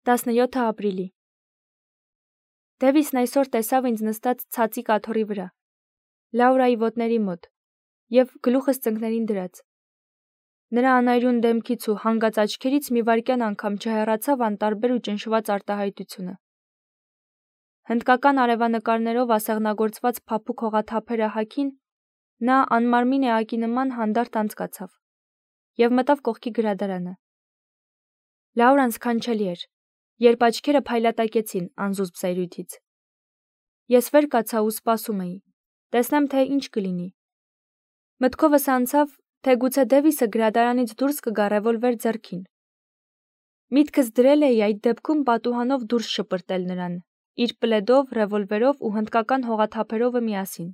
17 ապրիլի։ Դևիսն այսօր տեսավ ինձ նստած ցածիկ աթոռի վրա, Լաուրայի ոտների մոտ, և գլուխս ծնկներին դրած։ Նրա անայրուն դեմքից ու հանգած աչքերից մի վայրկյան անգամ չհեռացավ անտարբեր ու ճնշված արտահայտությունը։ Հնդկական արևանկարներով ասեղնագործված փափուկ հողաթափերը հագին, նա անմարմին էակի նման հանդարտ անցկացավ և մտավ կողքի գրադարանը։ Լաուրան սքանչելի էր, երբ աչքերը փայլատակեցին անզուսպ սայրույթից։ Ես վեր կացա ու սպասում էի, տեսնեմ, թե ինչ կլինի։ Մտքովս անցավ, թե գուցե Դևիսը գրադարանից դուրս կգա ռևոլվեր ձեռքին։ Միտքս դրել էի այդ դեպքում պատուհանով դուրս շպրտել նրան, իր պլեդով, ռևոլվերով ու հնդկական հողաթափերովը միասին։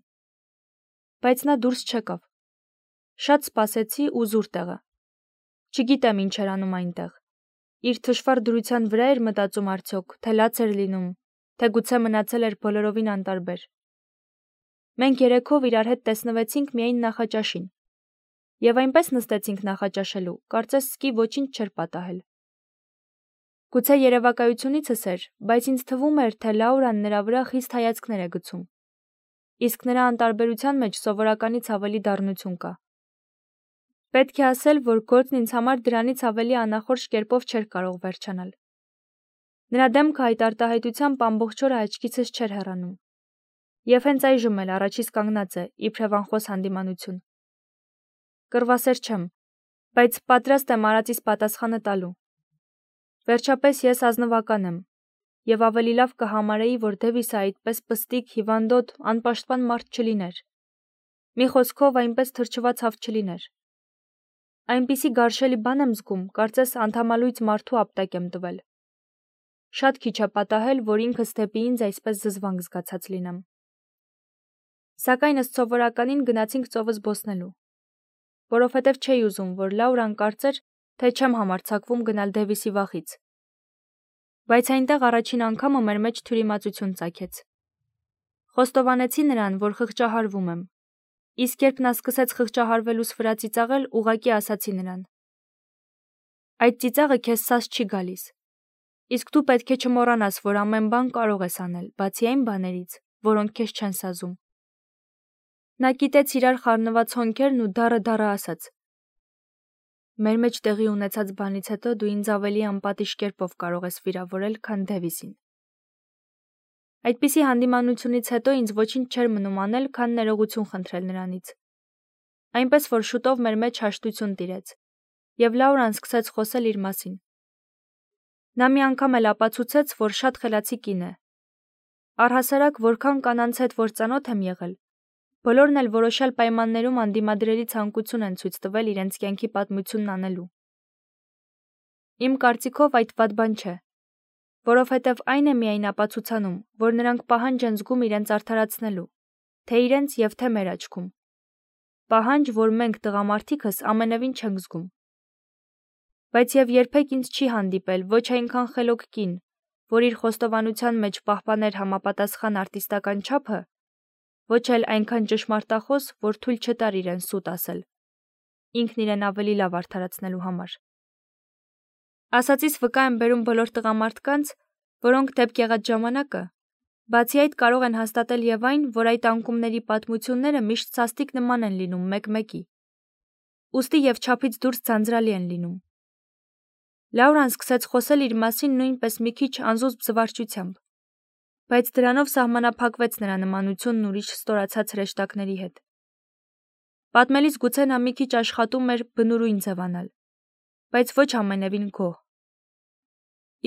Բայց նա դուրս չեկավ։ Շատ սպասեցի ու զուր տեղը։ Չգիտեմ ինչ էր անում այնտեղ։ Իր թշվառ դրության վրա էր մտածում արդյոք, թե լաց էր լինում, թե գուցե մնացել էր բոլորովին անտարբեր։ Մենք երեքով իրար հետ տեսնվեցինք միայն նախաճաշին։ Եվ այնպես նստեցինք նախաճաշելու, կարծես սկի ոչինչ չէր պատահել։ Գուցե երևակայությունիցս էր, բայց ինձ թվում էր, թե Լաուրան նրա վրա խիստ հայացքներ է գցում։ Իսկ նրա անտարբերության մեջ սովորականից ավելի դառնություն կա։ Պետք է ասել, որ գործն ինձ համար դրանից ավելի անախորժ կերպով չէր կարող վերջանալ։ Նրա դեմքը այդ արտահայտությամբ ամբողջ օրը աչքիցս չէր հեռանում։ Եվ հենց այժմ էլ առաջիս կանգնած է, իբրև անխոս հանդիմանություն։ Կռվասեր չեմ, բայց պատրաստ եմ արածիս պատասխանը տալու։ Վերջապես ես ազնվական եմ, և ավելի լավ կհամարեի, որ Դևիսը այդպես պստիկ, հիվանդոտ, անպաշտպան մարդ չլիներ։ Մի խոսքով այնպես թրջված հավ չլիներ։ Այնպիսի գարշելի բան եմ զգում, կարծես անդամալույծ մարդու ապտակ եմ տվել։ Շատ քիչ է պատահել, որ ինքս դեպի ինձ այսպես զզվանք զգացած լինեմ։ Սակայն ըստ սովորականին գնացինք ծովը զբոսնելու, որովհետև չէի ուզում, որ Լաուրան կարծեր, թե չեմ համարձակվում գնալ Դևիսի վախից։ Բայց այնտեղ առաջին անգամը մեր մեջ թյուրիմացություն ծագեց։ Խոստովանեցի նրան, որ խղճահարվում եմ։ Իսկ երբ նա սկսեց խղճահարվելուց վրա ծիծաղել, ուղղակի ասացի նրան. այդ ծիծաղը քեզ սաս չի գալիս։ Իսկ դու պետք է չմոռանաս, որ ամեն բան կարող ես անել, բացի այն բաներից, որոնք քեզ չեն սազում։ Նա կիտեց իրար խառնված հոնքերն ու դառը ասաց. մեր մեջ տեղի ունեցած բանից հետո դու ինձ ավելի անպատիժ կերպով կարող ես վիրավորել, քան Դևիսին։ Այդպիսի հանդիմանությունից հետո ինձ ոչինչ չէր մնում անել, քան ներողություն խնդրել նրանից։ Այնպես որ շուտով մեր մեջ հաշտություն տիրեց, և Լաուրան սկսեց խոսել իր մասին։ Նա մի անգամ էլ ապացուցեց, որ շատ խելացի կին է։ Առհասարակ, որքան կանանց հետ որ ծանոթ եմ եղել, բոլորն էլ որոշյալ պայմաններում անդիմադրելի ցանկություն են ցույց տվել իրենց կյանքի պատմությունն անելու։ Իմ կարծիքով այդ վատ բան չէ, որովհետև այն է միայն ապացուցանում, որ նրանք պահանջ են զգում իրենց արդարացնելու, թե իրենց և թե մեր աչքում։ Պահանջ, որ մենք տղամարդիկս ամենևին չենք զգում։ Բայց և երբեք ինձ չի հանդիպել ոչ այնքան խելոք կին, որ իր խոստովանության մեջ պահպաներ համապատասխան արտիստական չափը, ոչ էլ այնքան ճշմարտախոս, որ թույլ չտար իրեն սուտ ասել, ինքն իրեն ավելի լավ արդարացնելու համար։ Ասածիս վկա եմ բերում բոլոր տղամարդկանց, որոնք դեպք եղած ժամանակը, բացի այդ կարող են հաստատել և այն, որ այդ անկումների պատմությունները միշտ սաստիկ նման են լինում մեկ-մեկի, ուստի և չափից դուրս ձանձրալի են լինում։ Լաուրան սկսեց խոսել իր մասին նույնպես մի քիչ անզուսպ զվարճությամբ, բայց դրանով սահմանափակվեց նրա նմանությունն ուրիշ ստորացած հրեշտակների հետ։ Պատմելիս գուցե նա մի քիչ աշխատում էր բնուրույն ձևանալ, բայց ոչ ամենևին գոհ։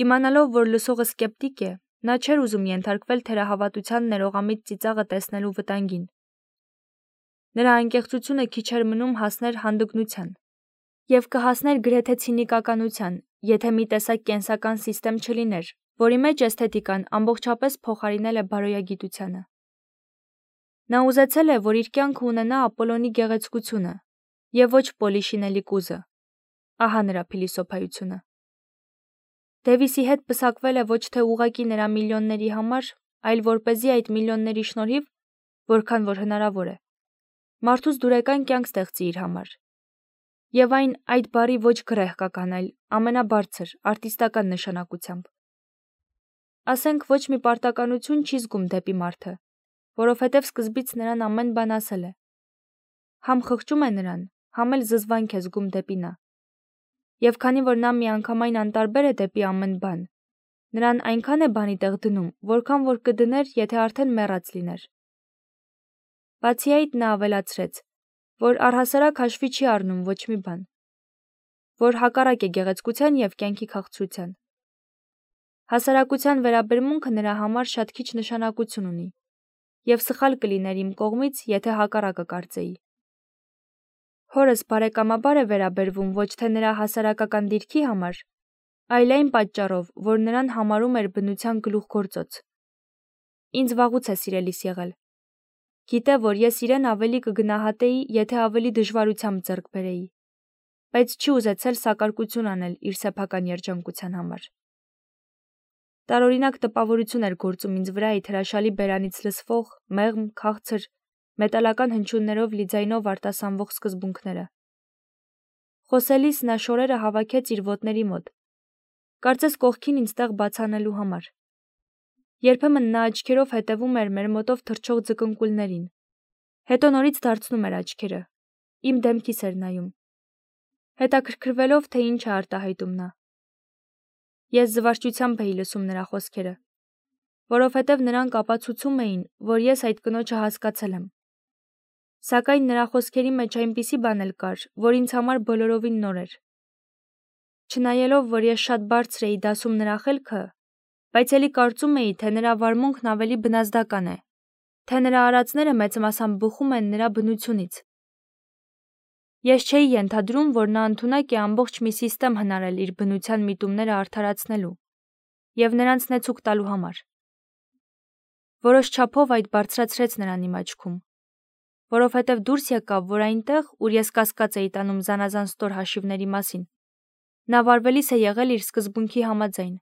Իմանալով, որ լսողը սկեպտիկ է, նա չէր ուզում ենթարկվել թերահավատության ներողամիտ ծիծաղը տեսնելու վտանգին։ Նրա անկեղծությունը քիչ էր մնում հասներ հանդգնության և կհասներ գրեթե ցինիկականության, եթե մի տեսակ կենսական սիստեմ չլիներ, որի մեջ էսթետիկան ամբողջապես փոխարինել է բարոյագիտությանը։ Նա ուզեցել է, որ իր կյանքը ունենա Ապոլոնի գեղեցկությունը և ոչ Պոլի շինելի կուզը։ Ահա նրա փիլիսոփայությունը։ Դևիսի հետ պսակվել է ոչ թե ուղղակի նրա միլիոնների համար, այլ որպեսզի այդ միլիոնների շնորհիվ, որքան որ հնարավոր է, մարդուց դուրեկան կյանք ստեղծի իր համար։ Եվ այն այդ բառի ոչ գրեհկական, այլ ամենաբարձր, արտիստական նշանակությամբ։ Ասենք ոչ մի պարտականություն չի զգում դեպի մարդը, որովհետև սկզբից նրան ամեն բան ասել է։ Համ խղճում է նրան, համ էլ զզվանք է զգում դեպի նա։ Եվ քանի որ նա միանգամայն անտարբեր է դեպի ամեն բան, նրան այնքան է բանի տեղ դնում, որքան որ կդներ, եթե արդեն մեռած լիներ։ Բացի այդ նա ավելացրեց, որ առհասարակ հաշվի չի առնում ոչ մի բան, որ հակառակ է գեղեցկության և կյանքի քաղցրության։ Հասարակության վերաբերմունքը նրա համար շատ քիչ նշանակություն ունի, և սխալ կլիներ իմ կողմից, եթե հակառակը կարծեի։ Հորս բարեկամաբար է վերաբերվում ոչ թե նրա հասարակական դիրքի համար, այլ այն պատճառով, որ նրան համարում էր բնության գլուխգործոց։ Ինձ վաղուց է սիրելիս եղել։ Գիտե, որ ես իրեն ավելի կգնահատեի, եթե ավելի դժվարությամբ ձեռք բերեի, բայց չի ուզեցել սակարկություն անել իր սեփական երջանկության համար։ Տարօրինակ տպավորություն էր գործում ինձ վրա այդ հրաշալի բերանից լսվող, մեղմ, քաղցր, մետալական հնչյուններով լի ձայնով արտասանվող սկզբունքները։ Խոսելիս նա շորերը հավաքեց իր ոտների մոտ, կարծես կողքին ինձ տեղ բացանելու համար։ Երբեմն նա աչքերով հետևում էր մեր մոտով թռչող ձկնկուլներին, հետո նորից դարձնում էր աչքերը, իմ դեմքիս էր նայում, հետաքրքրվելով, թե ինչ է արտահայտում նա։ Ես զվարճությամբ էի լսում նրա խոսքերը, որովհետև նրանք ապացուցում էին, որ ես այդ կնոջը հասկացել եմ։ Սակայն նրա խոսքերի մեջ այնպիսի բան էլ կար, որ ինձ համար բոլորովին նոր էր։ Չնայելով, որ ես շատ բարձր էի դասում նրա խելքը, բայց էլի կարծում էի, թե նրա վարմունքն ավելի բնազդական է, թե նրա արածները մեծ մասամբ բխում են նրա բնությունից։ Ես չէի ենթադրում, որ նա ընդունակ է ամբողջ մի սիստեմ հնարել իր բնության միտումները արդարացնելու և նրանց նեցուկ տալու համար։ Որոշ չափով այդ բարձրացրեց նրան իմ աչքում, որովհետև դուրս եկավ, որ այնտեղ, ուր ես կասկած էի տանում զանազան ստոր հաշիվների մասին, նա վարվելիս է եղել իր սկզբունքի համաձայն,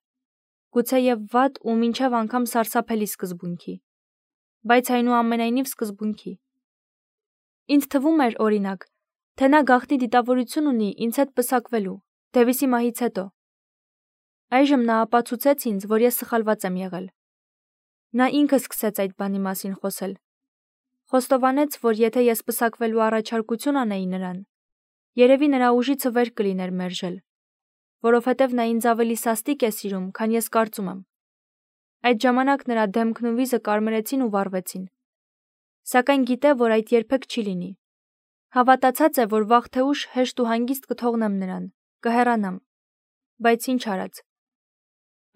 գուցեև վատ ու մինչև անգամ սարսափելի սկզբունքի, բայց այնուամենայնիվ սկզբունքի։ Ինձ թվում էր, օրինակ, թե նա գաղտնի դիտավորություն ունի ինձ հետ պսակվելու, Դևիսի մահից հետո։ Այժմ նա ապացուցեց ինձ, որ ես սխալված եմ եղել։ Նա ինքը սկսեց այդ բանի մասին խոսել։ Խոստովանեց, որ եթե ես պսակվելու առաջարկություն անեի նրան, երևի նրա ուժիցը վեր կլիներ մերժել, որովհետև նա ինձ ավելի սաստիկ է սիրում, քան ես կարծում եմ։ Այդ ժամանակ նրա դեմքն ու վիզը կարմրեցին ու վառվեցին։ Սակայն գիտե, որ այդ երբեք չի լինի։ Հավատացած է, որ վաղ թե ուշ հեշտ ու հանգիստ կթողնեմ նրան, կհեռանամ, բայց ինչ արած։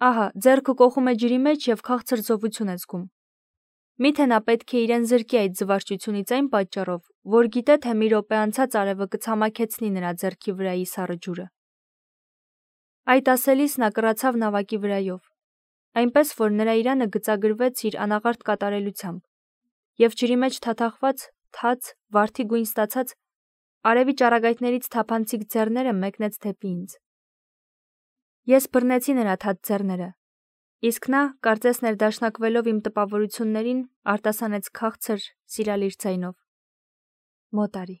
Ահա, ձեռքը կոխում է ջրի մեջ և քաղցր զովություն է զգում։ Միթե նա պետք է իրեն զրկի այդ զվարճությունից այն պատճառով, որ գիտե, թե մի րոպե անցած արևը կցամաքեցնի նրա ձեռքի վրայի սառը ջուրը։ Այդ ասելիս նա կռացավ նավակի վրայով, այնպես որ նրա իրանը գծագրվեց իր անաղարտ կատարելությամբ, և ջրի մեջ թաթախված, թաց, վարդի գույն ստացած, արևի ճառագայթներից թափանցիկ ձեռները մեկնեց դեպի ինձ։ Ես բռնեցի նրա թաց ձեռները, իսկ նա, կարծես ներդաշնակվելով իմ տպավորություններին, արտասանեց քաղցր, սիրալիր ձայնով. Մոտ արի։